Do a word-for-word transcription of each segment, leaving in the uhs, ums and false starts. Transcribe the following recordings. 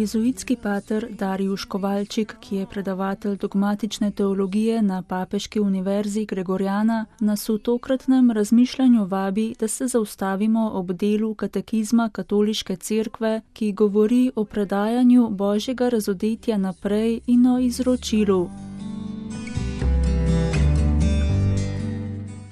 Jezuitski pater Darijuš Kovalčik, ki je predavatelj dogmatične teologije na Papeški univerzi Gregorjana, nas v tokratnem razmišljanju vabi, da se zaustavimo ob delu katekizma Katoliške cerkve, ki govori o predajanju Božjega razodetja naprej in o izročilu.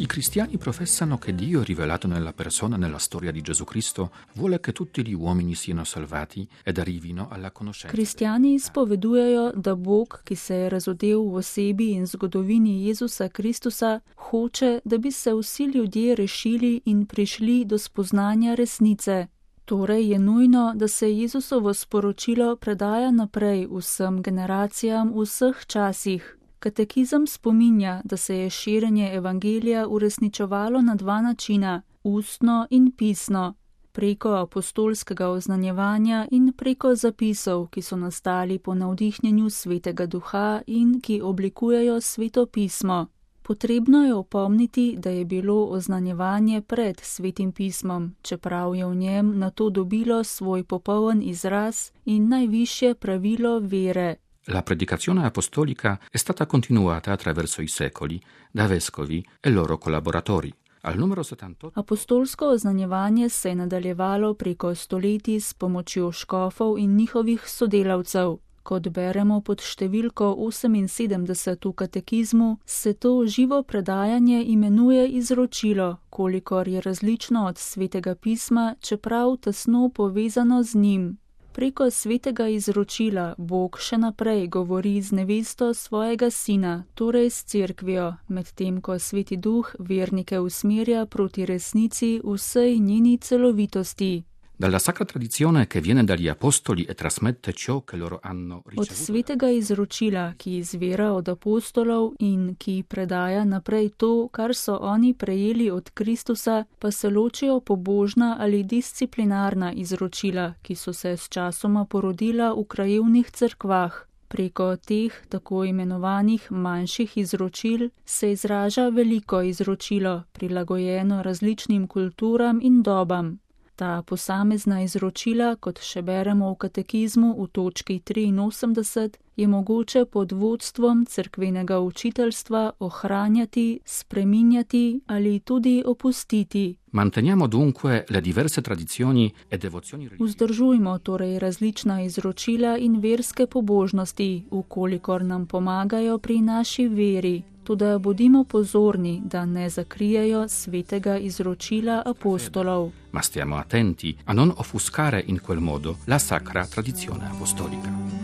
I cristiani professano che Dio rivelato nella persona nella storia di Gesù Cristo vuole che tutti gli uomini siano salvati ed arrivino alla conoscenza. Kristjani spovedujejo, da Bog, ki se je razodel v osebi in zgodovini Jezusa Kristusa, hoče, da bi se vsi ljudje rešili in prišli do spoznanja resnice. Torej je nujno, da se Jezusovo sporočilo predaja naprej vsem generacijam v vseh časih. Katekizem spominja, da se je širjenje evangelija uresničevalo na dva načina, ustno in pisno, preko apostolskega oznanjevanja in preko zapisov, ki so nastali po navdihnjenju Svetega Duha in ki oblikujejo Sveto pismo. Potrebno je opomniti, da je bilo oznanjevanje pred Svetim pismom, čeprav je v njem nato dobilo svoj popoln izraz in najvišje pravilo vere. La predicazione apostolica è stata continuata attraverso i secoli da vescovi e loro collaboratori. Al numero settantotto Apostolsko oznanjevanje se je nadaljevalo preko stoletij s pomočjo škofov in njihovih sodelavcev. Kot beremo pod številko oseminsedemdeset v katekizmu, se to živo predajanje imenuje izročilo, kolikor je različno od Svetega pisma, čeprav tesno povezano z njim. Preko svetega izročila Bog še naprej govori z nevesto svojega sina, torej s cerkvijo, medtem ko Sveti Duh vernike usmerja proti resnici v vsej njeni celovitosti. Dalla sacra tradizione che viene dagli apostoli e trasmette ciò che loro hanno ricevuto. Od svetega izročila, ki izvira od apostolov in ki predaja naprej to, kar so oni prejeli od Kristusa, pa se ločijo pobožna ali disciplinarna izročila, ki so se s časoma porodila v krajevnih cerkvah. Preko teh tako imenovanih manjših izročil se izraža veliko izročilo, prilagojeno različnim kulturam in dobam. Ta posamezna izročila, kot še beremo v katekizmu v točki triinosemdeset, je mogoče pod vodstvom cerkvenega učiteljstva ohranjati, spreminjati ali tudi opustiti. Manteniamo dunque le diverse tradizioni e devozioni religiose. Vzdržujmo torej različna izročila in verske pobožnosti, ukolikor nam pomagajo pri naši veri. Toda bodimo pozorni, da ne zakrijejo svetega izročila apostolov. Ma stiamo attenti a non offuscare in quel modo la sacra tradizione apostolica.